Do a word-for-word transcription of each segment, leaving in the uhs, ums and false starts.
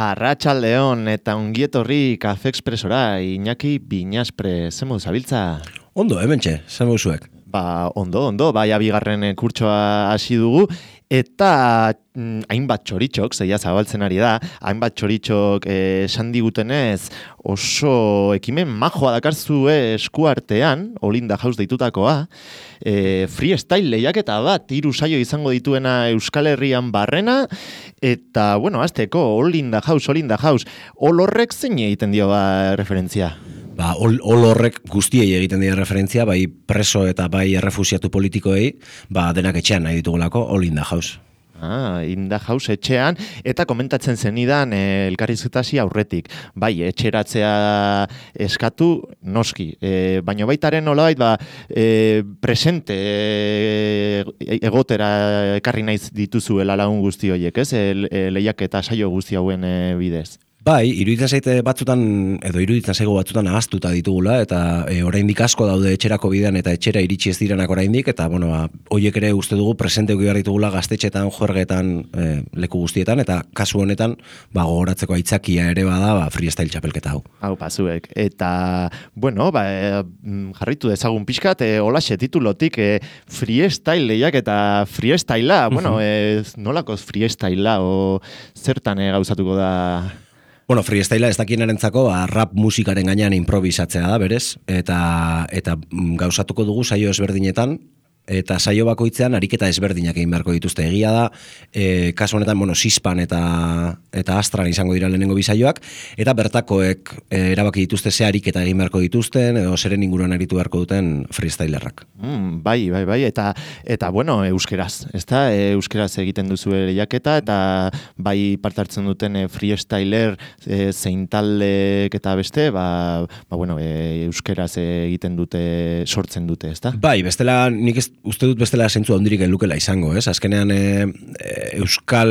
Arratsaldeon eta ongietorri Kafe Expresora, Iñaki Binaspre, zemo zabiltza? Ondo, hementxe, zemo zuek. Ba, ondo, ondo, bai abigarren kurtsoa hasi dugu, eta mm, hainbat txoritxok, zeia zabaltzen ari da, hainbat txoritxok esan digutenez oso ekimen majoa dakarzue eskuartean, Olinda House deitutakoa, e, freestyle lehiaketa bat, hiru saio izango dituena Euskal Herrian barrena, eta, bueno, azteko, Olinda House, Olinda House, olorrek zein egiten dio ba referentzia? Ba, ol, ol horrek guztiei egiten dira referentzia, bai preso eta bai errefusiatu politikoei, ba, denak etxean nahi ditugulako, All in the House. Ah, in the House etxean, eta komentatzen zenidan eh, elkarrizketasi aurretik. Bai, etxeratzea eskatu noski, eh, baina baitaren nolabait, ba, eh, presente eh, egotera ekarri naiz dituzuela lagun guzti horiek, ez? E, e, lehiak eta saio guzti hauen eh, bidez. Bai, iruditzen zaite batzutan, edo iruditzen zaigu batzutan ahaztuta ditugula, eta e, oraindik asko daude etxerako bidean eta etxera iritsi ez direnak oraindik, eta bueno, ba, hoiek ere uste dugu presente eduki behar ditugula gaztetxetan, juergetan, e, leku guztietan, eta kasu honetan, ba, gogoratzeko aitzakia ere bada, ba, freestyle txapelketa hau. Hau, pazuek. Eta, bueno, ba, e, jarritu dezagun pixkat, e, holaxe titulotik, e, freestyle lehiak eta freestylea, bueno, e, nolakoz freestylea, o zertan e, gauzatuko da... Bueno, freestylea ez dakienarentzako ba, rap musikaren gainean improvisatzea da, berez, eta, eta gauzatuko dugu saio ezberdinetan, eta saio bakoitzean ariketa ezberdinak egin beharko dituzte. Egia da, e, kasu honetan, bueno, Sispan eta, eta Astran izango dira lehenengo bisaioak, eta bertakoek e, erabaki dituzte ze ariketa egin beharko dituzten, edo zeren inguruan aritu beharko duten freestylerrak. Mm, bai, bai, bai, eta, eta bueno, euskeraz, ezta? E, euskeraz egiten duzu lehiaketa, eta bai parte hartzen duten e, freestyler e, zein taldek eta beste, ba, ba bueno, e, euskeraz egiten dute, sortzen dute, ezta? Bai, bestela nik ez uste dut bestela zentzu handirik elukela izango, ez? Azkenean e, e, euskal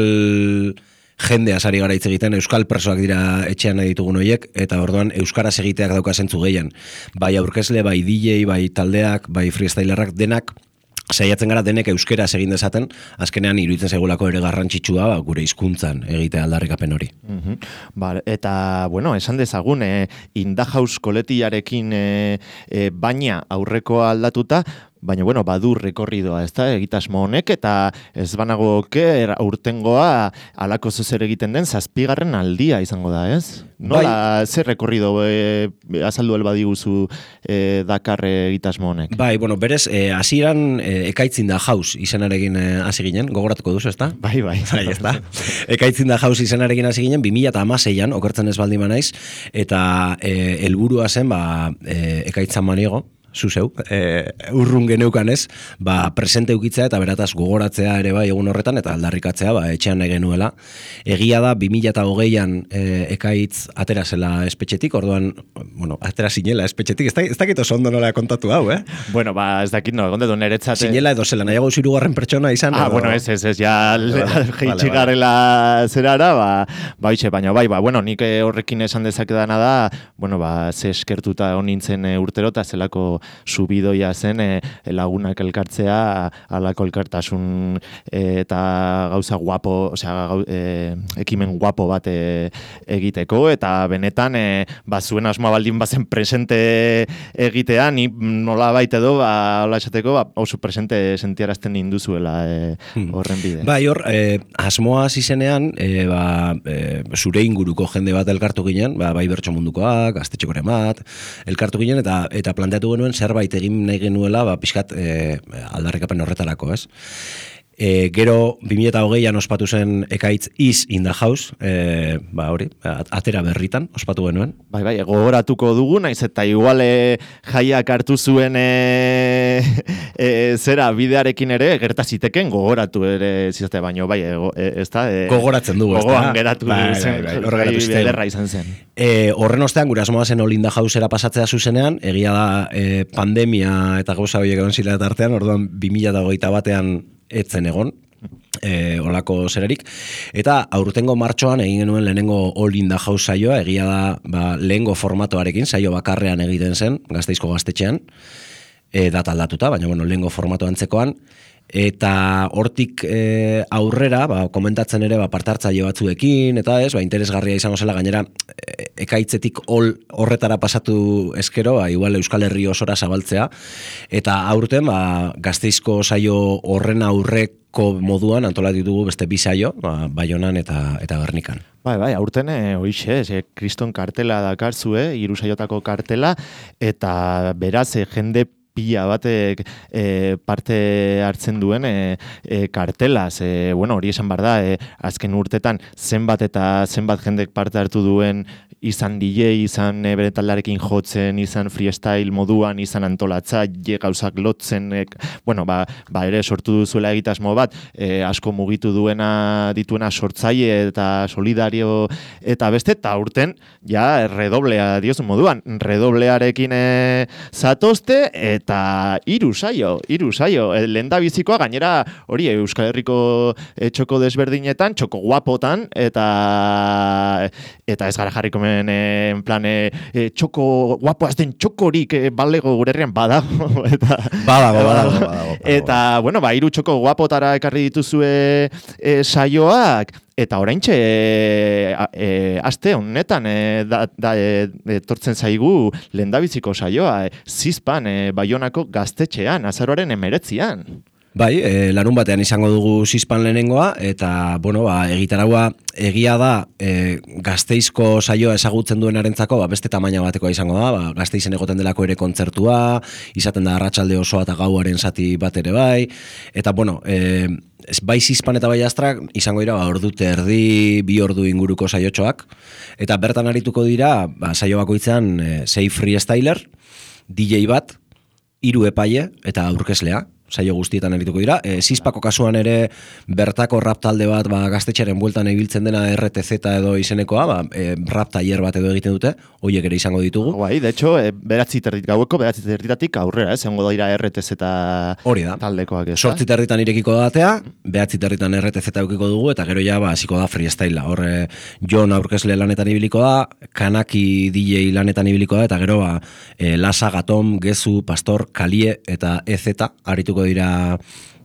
jendea sari gara hitz egiten, euskal presoak dira etxean nahi ditugun horiek, eta orduan euskaraz egiteak dauka zentzu gehien. Bai aurkezle, bai D J, bai taldeak, bai freestylerrak denak, saiatzen gara denek euskeraz egin dezaten, azkenean iruditzen zaigulako ere garrantzitsua ba, gure hizkuntzan egitea aldarrikapen hori. Mm-hmm. Ba, eta, bueno, esan dezagun, e, In the House koletiarekin e, e, baina aurrekoa aldatuta, baina, bueno, badu rekorridoa, ez da, egitasmo honek, eta ez banago oker aurtengoa alako zer egiten den zazpigarren aldia izango da, ez? Nola, bai. Zer rekorrido e, azaldu elbadiguzu e, Dakar egitasmo honek? Bai, bueno, berez, hasieran e, ekaitzin da House izenarekin hasi e, ginen, gogoratuko duzu, ez da? Bai, bai. Bai, ez da. Ekaitzin da House izenarekin hasi ginen, bi mila hamaseian, okertzen ez baldin banaiz, eta e, helburua zen, ba, e, ekaitzan maniego, zuzeu, e, urrun geneukan ez, ba, presente eukitzea eta berataz gogoratzea ere bai egun horretan eta aldarrikatzea ba, etxean nahi genuela. Egia da, bi mila hogeian e, ekaitz atera zela espetxetik, orduan, bueno, atera zinela espetxetik, ez, da, ez dakit oso ondo nola kontatu hau, eh? Bueno, ba, ez dakit no, egon dedu niretzat... Zinela edo zela, nahiago zirugarren pertsona izan. Ah, edo... bueno, ez, ez, ez, ja, jeitsi garela zerara, ba, ba, itxe, baina, bai, ba, bueno, nik horrekin esan dezakedana da, bueno, ba, ze eskertuta honintzen urtero, eta zelako subidoia zen e, lagunak elkartzea, alako elkartasun e, eta gauza guapo, osea, gau, e, ekimen guapo bat e, egiteko, eta benetan, e, ba, zuen asmoa baldin bazen presente egitea, ni nola baita edo, ba, hola esateko, ba, oso presente sentiarazten induzuela e, horren bide. Bai, hor, e, asmoa zizenean, e, ba, e, zure inguruko jende bat elkartu ginen, ba, bai bertso mundukoak, gaztetxekoren bat, elkartu ginen, eta, eta planteatu genuen zerbait egin nahi genuela, ba, pixkat e, aldarrikapen horretarako, ez? E, gero, bi mila hogeian ospatu zen ekaitz Is in the House, e, ba, hori, atera berritan, ospatu genuen. Bai, bai, gogoratuko dugu, naiz eta igual e, jaiak hartu zuen e, e, zera bidearekin ere, gertaziteken gogoratu ere zizate baino, bai, e, ez da? E, gogoratzen dugu, ez da? Gogoan geratu bai, zen, bai, bai, bai, ederra izan zen. E, horren ostean, gure asmoa zen All in the Housera pasatzea zuzenean, egia da e, pandemia eta gauza horiek egon zila eta artean, orduan bi mila hogeita batean etzen egon, E, olako zerarik, eta aurtengo martxoan egin genuen lehenengo All in the House saioa, egia da ba, lehengo formatoarekin, saio bakarrean egiten zen, Gasteizko gaztetxean, e, data aldatuta, baina bueno, lehengo formato antzekoan, eta hortik e, aurrera, ba, komentatzen ere ba, partartzaile batzuekin, eta ez, ba, interesgarria izango zela, gainera e, ekaitzetik ol horretara pasatu eskero, ba, igual Euskal Herri osora zabaltzea, eta aurten ba, Gasteizko saio horren aurrek moduan antolatu ditugu beste bi saio, ba, Baionan eta eta Gernikan. Bai, bai, aurten e, hoixe, e, kriston kartela dakarzue, hiru saiotako kartela, eta beraz, e, jende pila batek e, parte hartzen duen e, e, kartelaz. E, bueno, hori esan bar da, e, azken urtetan zenbat eta zenbat jendek parte hartu duen izan D J, izan e, bere taldarekin jotzen, izan freestyle moduan, izan antolatza, je gauzak lotzen, e, bueno, ba, ba ere sortu duzuela egitasmo bat, e, asko mugitu duena dituena sortzaile eta solidario eta beste, eta urten, ja, redoblea diozu moduan, redoblearekin e, zatozte, eta hiru saio, hiru saio, e, lehendabizikoa gainera hori Euskal Herriko e, txoko desberdinetan, txoko guapotan, eta eta ez gara jarriko en plan, e, txoko, guapo azten txokorik e, balego gure herrian badago. Eta, badago, badago, badago. Eta, bueno, ba, hiru txoko guapotara ekarri dituzue e, saioak, eta oraintxe e, e, aste honetan e, da, da, e, etortzen zaigu lehendabiziko saioa, e, Zizpan, e, Baionako gaztetxean, azaroaren emeretzian. Bai, e, larun batean izango dugu Zizpan lehenengoa, eta, bueno, ba, egitaragua egia da e, Gasteizko saioa ezagutzen duenarentzako, ba, beste tamaina batekoa izango da, ba, Gasteizen egoten delako ere kontzertua, izaten da arratsalde osoa eta gauaren zati bat ere bai, eta, bueno, e, bai Zizpan eta bai Astrak izango dira, ba, ordu terdi, bi ordu inguruko saiotxoak, eta bertan arituko dira, ba, saio bakoitzean e, sei freestyler, D J bat, hiru epaile eta aurkezlea, saio guztietan erituko dira. E, Zizpako kasuan ere bertako rap talde bat ba, gaztetxearen bueltan ibiltzen dena R T Z edo izenekoa, ba, e, rap taller bat edo egiten dute, horiek ere izango ditugu. Bai, de hecho, e, beratzi terdit gaueko, beratzi terditatik aurrera, ez, egongo dira R T Z hori da. Taldekoak ez. Sortzi terditan irekiko datea, beratzi terditan R T Z eukiko dugu, eta gero ja, ba, hasiko da freestyle. Horre, Jon aurkezle lanetan ibiliko da, Kanaki D J lanetan ibiliko da, eta gero, ba, e, Lasa, Gatom, Gezu, Pastor, Kalie eta E Z arituko dira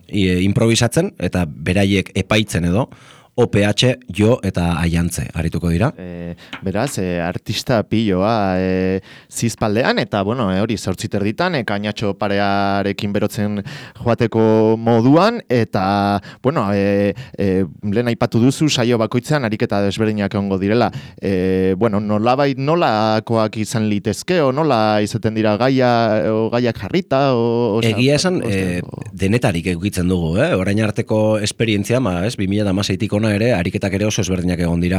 e, improvisatzen eta beraiek epaitzen edo O P H, Jo eta Aiantze arituko dira. E, beraz, e, artista piloa e, Zizpaldean, eta bueno, e, hori zortzi terditan, e, kainatxo parearekin berotzen joateko moduan, eta bueno, e, e, lehen aipatu duzu saio bakoitzean ariketa desberdinak egongo direla. E, bueno, nolabait nolakoak izan litezke, o nola izaten dira gaia, o gaiak jarrita, o... o egia esan, e, denetarik egitzen dugu, eh? Orain arteko esperientzia, ma, ez, bi mila hamaseitik ere, ariketak ere oso ezberdinak egon dira.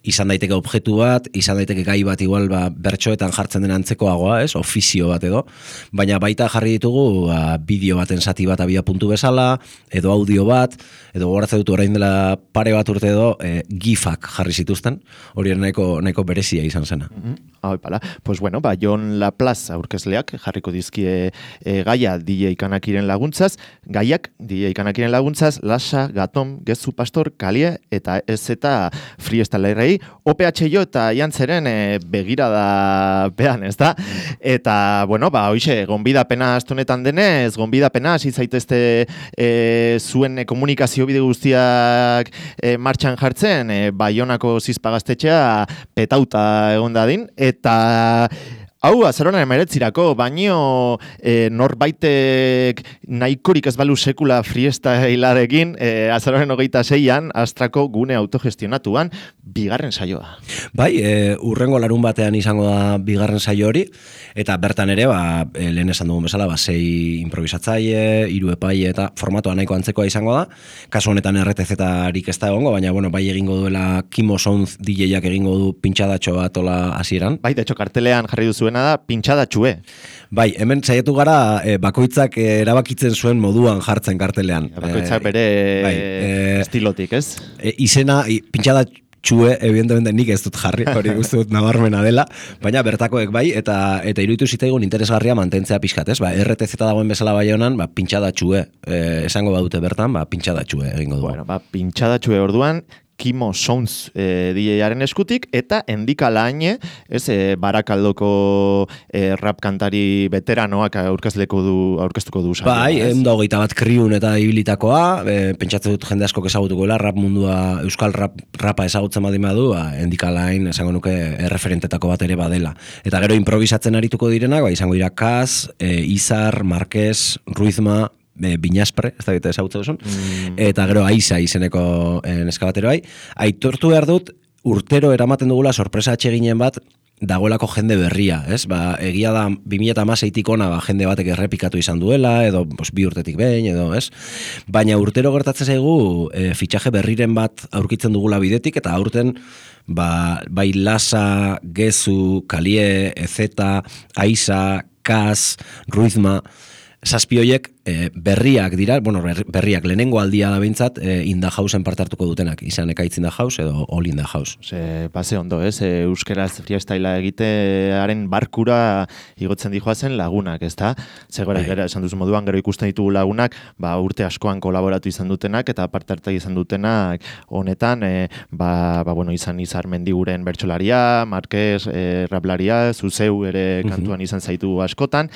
Izan daiteke objektu bat, izan daiteke gai bat igual ba, bertsoetan jartzen den antzekoagoa, ez, ofizio bat edo, baina baita jarri ditugu ba, bideo baten zati bat abia puntu bezala, edo audio bat, edo goratzen dut orain dela pare bat urte edo e, gifak jarri zituzten, hori nahiko, nahiko berezia izan zena. Mm-hmm. Hau, pala. Pues bueno, ba, Jon Laplace aurkezleak jarriko dizkie e, gaia D J Kanakiren laguntzaz, gaiak D J Kanakiren laguntzaz, Lasa, Gatom, Gezu, Pastor, Kalie eta ez eta freestylerrei, O P H Jo eta Iantzeren e, begirada pean, ez da? Eta, bueno, ba, hoxe, gonbidapena astunetan denez, gonbidapena hasi zaitezte e, zuen e, komunikazio bide guztiak e, martxan jartzen, e, Baionako Zizpa gaztetxea petauta egon dadin, eta hau, azaroan emeretzirako, baino e, norbaitek nahikorik ez balu sekula freestylearekin, e, azaroan hogeita zeian, Astrako gune autogestionatuan, bigarren saioa. Bai, e, urrengo larun batean izango da bigarren saio hori, eta bertan ere, ba, e, lehen esan dugun bezala, ba, sei improvisatzaile, hiru epaile, eta formatoa nahiko antzekoa izango da, kasu honetan R T Z-arik ez da egongo, baina, bueno, bai egingo duela Kimo Sound D J-ak egingo du pintxadatxo bat ola hasieran. Bai, de hecho, kartelean jarri duzuen da pintxadatxue. Bai, hemen saiatu gara e, bakoitzak e, erabakitzen zuen moduan jartzen kartelean. Bakoitzak bere e, bai, e, estilotik, ez? E, izena, e, pintxadatxu txue, evidentemente nik ez dut jarri, hori uste dut nabarmena dela, baina bertakoek bai, eta eta iruditu zitzaigun interesgarria mantentzea pixkat, ez? Ba, R T Z dagoen bezala bai honan, ba, pintxada txue, eh, esango badute bertan, ba, pintxada txue egingo dugu. Bueno, ba, pintxada txue orduan, Kimo Sounds e, D J-aren eskutik, eta Endika Laine, ez, e, Barakaldoko e, rap kantari veteranoak aurkezleko du, aurkeztuko du. Saioa, bai, eunda hogeita bat kriun eta ibilitakoa, e, pentsatzen dut jende asko ezagutukoela, rap mundua, euskal rap, rapa ezagutzen badin badu, ba, Endika Laine, esango nuke, erreferentetako bat ere badela. Eta gero improvisatzen arituko direnak, ba, izango dira Kaz, e, Izar, Marquez, Ruizma, E, Binaspre, ez da bita ezagutza duzun, mm. eta gero Aiza izeneko neskabatero bai. Aitortu behar dut, urtero eramaten dugula sorpresa atseginen bat, dagoelako jende berria, ez? Ba, egia da, bi mila hamaseitik ona ba, jende batek errepikatu izan duela, edo bos, bi urtetik behin, edo, ez? Baina urtero gertatzen zaigu, e, fitxaje berriren bat aurkitzen dugula bidetik, eta aurten, ba, bai Lasa, Gezu, Kalie, Ezeta, Aiza, Kaz, Ruizma, zazpi horiek e, berriak dira, bueno, berriak lehenengo aldia da bintzat, e, In the Houseen parte hartuko dutenak, izan Ekaitz in the House edo All in the House. Se pase ondo, ez? E, euskeraz freestylea egitearen barkura igotzen dijoazen lagunak, ezta? Zegora, gara, esan duzu moduan, gero ikusten ditugu lagunak, ba, urte askoan kolaboratu izan dutenak, eta parte hartu izan dutenak honetan, e, ba, ba, bueno, izan Izar Mendiguren bertsolaria, Marquez, e, raplaria, Zuzeu ere kantuan izan zaitu askotan,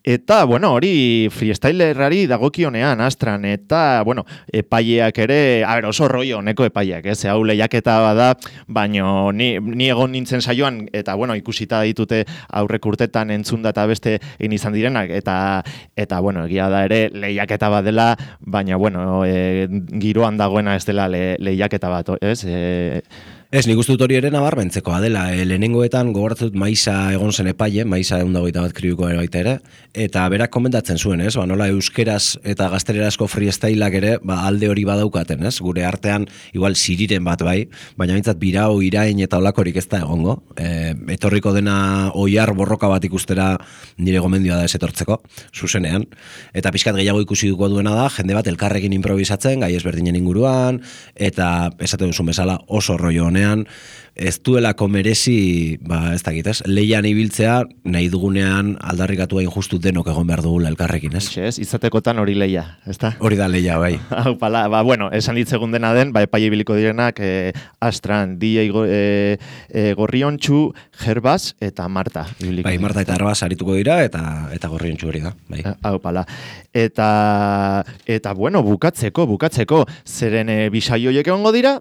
eta, bueno, hori freestylerari dagokionean astran, eta, bueno, epaileak ere, a ber, oso rollo honeko epaileak, ez, hau lehiaketa bada, baino ni, ni egon nintzen saioan, eta, bueno, ikusita ditute aurrek urtetan entzunda eta beste egin izan direnak, eta, eta bueno, egia da ere lehiaketa bat dela, baina, bueno, e, giroan dagoena ez dela le, lehiaketa bat, ez, e, Ez, nik uste dut hori ere nabarmentzekoa dela. E, lehenengoetan gogoratzen dut Maiza egon zen epaile, Maiza egun dagoita bat kriuko ere baita ere, eta berak komentatzen zuen, ez? Ba, nola euskeraz eta gaztelerazko freestyleak ere ba, alde hori badaukaten, ez? Gure artean, igual siriren bat bai, baina bintzat birau, irain eta olakorik ez da egongo. E, etorriko dena oiar borroka bat ikustera nire gomendioa da ez etortzeko, zuzenean. Eta pixkat gehiago ikusi duko duena da, jende bat elkarrekin improvisatzen, gai ezberdinen inguruan, eta esaten duzun bezala oso rollo ez duelako merezi, ba, ez dakit, ez? Leian ibiltzea, nahi dugunean aldarrikatu hain justu denok egon behar dugula elkarrekin, ez? Ez, izatekotan hori leia, ez da? Hori da leia, bai. Hau, pala, ba, bueno, esan ditzegun dena den, ba, epaile ibiliko direnak, e, Astran, D J go, e, e, Gorriontxu, Gerbaz eta Marta. Bai, Marta eta Gerbaz arituko dira, eta eta Gorriontxu hori da, bai. Hau, pala. Eta, eta, bueno, bukatzeko, bukatzeko, zeren e, bisaioiek egongo dira,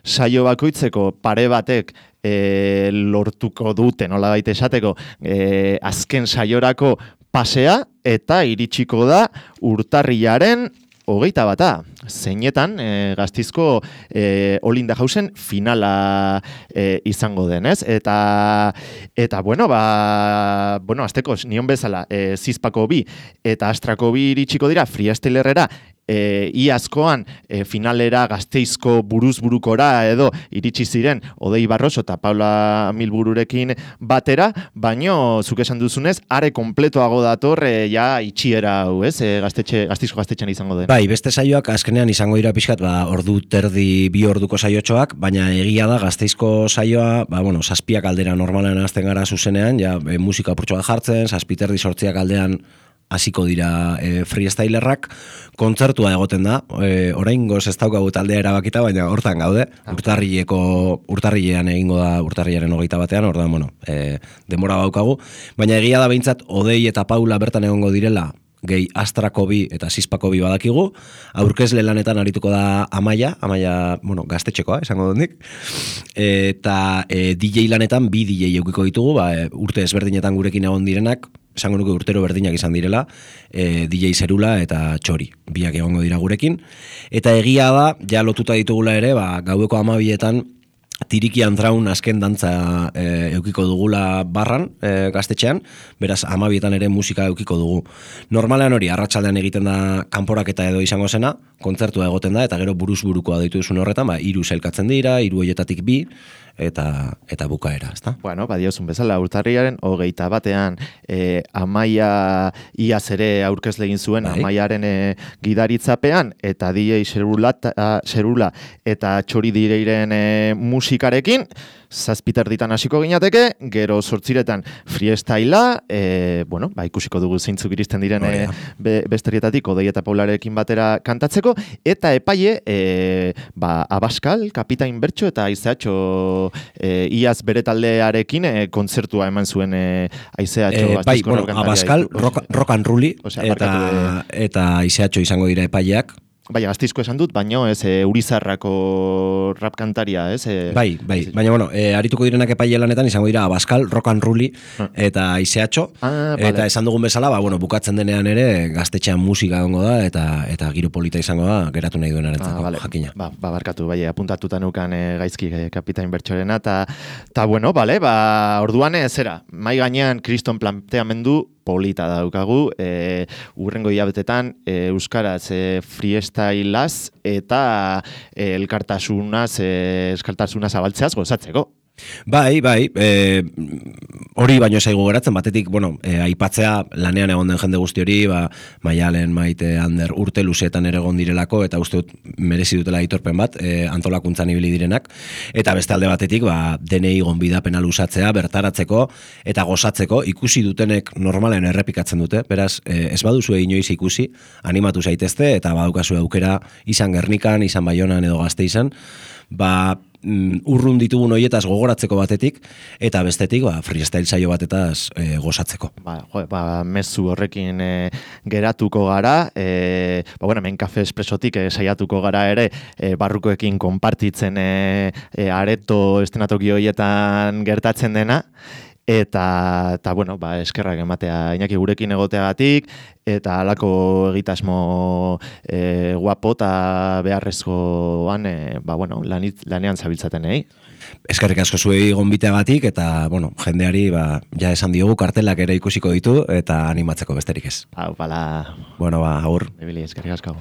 saio bakoitzeko pare batek e, lortuko dute, nola baita esateko, e, azken saiorako pasea, eta iritsiko da urtarrilaren hogeita bata. Zeinetan, e, Gaztizko e, All in the Houseen finala e, izango denez. Eta, eta bueno, ba, bueno, azteko, nion bezala, e, Zizpako bi eta Astrako bi iritsiko dira, freestylerrera, E, iazkoan e, finalera Gasteizko buruz-burukora edo iritsi ziren Odei Barroso eta Paula Milbururekin batera, baino zuk esan duzunez, are kompletoago dator e, ja itxiera hau, ez? E, gaztetxe, Gasteizko gaztetxean izango den. Bai, beste saioak azkenean izango dira pixkat, ba, ordu terdi bi orduko saiotxoak, baina egia da Gasteizko saioa, ba, bueno, zazpiak aldera normalean azten gara zuzenean, ja, e, musika apurtxo bat jartzen, zazpi terdi sortziak aldean hasiko dira e, freestylerrak, kontzertua egoten da, e, oraingoz ez daukagu taldea erabakita, baina hortan gaude, urtarrileko, urtarrilean egingo da, urtarrilaren hogeita batean, ordan, bueno, e, denbora baukagu, baina egia da behintzat, Odei eta Paula bertan egongo direla, gehi Astrako bi eta Zizpako bi badakigu, aurkezle lanetan arituko da Amaia, Amaia, bueno, gaztetxekoa, esango dut nik, eta e, D J lanetan bi D J eukiko ditugu, ba, e, urte ezberdinetan gurekin egon direnak, esango nuke urtero berdinak izan direla, e, D J Zerula eta Txori, biak egongo dira gurekin. Eta egia da, ja lotuta ditugula ere, ba, gaueko amabietan, Tiriki Antraun azken dantza e, eukiko dugula barran, e, gaztetxean, beraz amabietan ere musika eukiko dugu. Normalean hori, arratsaldean egiten da kanporaketa edo izango zena, kontzertua egoten da, eta gero buruz burukoa deitu duzun horretan, ba, hiru sailkatzen dira, hiru horietatik bi, eta eta bukaera, ezta? Bueno, badiozun bezala, urtarriaren hogeita batean e, Amaia iaz ere aurkezle egin zuen, bai? Amaiaren e, gidaritzapean, eta D J Xerula, Xerula eta Txori Direiren e, musikarekin, zazpiter ditan hasiko ginateke, gero sortziretan freestylea, e, bueno, ba, ikusiko dugu zeintzuk iristen diren oh, yeah. e, be, besterietatik, Odei eta Paularekin batera kantatzeko, eta epaile, e, ba, Abaskal, Kapitain Bertxo eta Aizeatxo e, iaz bere taldearekin e, kontzertua eman zuen e, Aizeatxo. E, bai, bueno, Abaskal, rock, rock and rolli, osea, eta, de... eta Aizeatxo izango dira epaileak. Bai, Gaztizko esan dut, baino ez e, Urizarrako rap kantaria, ez? E, bai, bai, ez, baina bueno, e, arituko direnak epaile lanetan izango dira Abaskal, Rock and Rolli ah. eta Aizeatxo, ah, eta vale. Esan dugun bezala, ba, bueno, bukatzen denean ere gaztetxean musika gongo da, eta eta giro polita izango da, geratu nahi duen arentzako, ah, vale. Jakina. Ba, ba, barkatu, bai, apuntatuta nukan e, gaizki e, Kapitain Bertxorena, eta ta, bueno, bale, ba, orduan ez zera, mai gainean kriston planteamendu polita daukagu, e, urrengo hilabetetan e, euskaraz e, freestylaz eta e, elkartasunaz, e, elkartasunaz abaltzeaz gozatzeko. Bai, bai, e, hori baino zaigu geratzen, batetik, bueno, e, aipatzea lanean egon den jende guzti hori, ba, Maialen, Maite, Ander, urte luzeetan ere egon direlako, eta uste dut merezi dutela aitorpen bat, e, antolakuntzan ibili direnak, eta beste alde batetik, ba, denei gonbidapena luzatzea, bertaratzeko, eta gozatzeko, ikusi dutenek normalen errepikatzen dute, beraz, e, ez baduzu inoiz ikusi, animatu zaitezte, eta badaukazu aukera, izan Gernikan, izan Baionan edo Gasteizen, ba, urrun ditugun hoietaz gogoratzeko batetik, eta bestetik ba, freestyle saio batetaz e, gozatzeko. Ba, jo, ba, mezu horrekin e, geratuko gara, e, ba, bueno, men Kafe Espresotik e, saiatuko gara ere, e, barrukoekin konpartitzen e, e, areto estenatoki hoietan gertatzen dena, eta, eta bueno, ba, eskerrak ematea Iñaki gurekin egoteagatik, eta halako egitasmo e, guapo eta beharrezkoan, e, ba, bueno, lanit, lanean zabiltzaten, eh? Eskerrik asko zuei gonbiteagatik, eta, bueno, jendeari, ba, ja esan diogu, kartelak ere ikusiko ditu, eta animatzeko besterik ez. Hau, bala. Bueno, ba, agur. Ebili, eskerrik asko.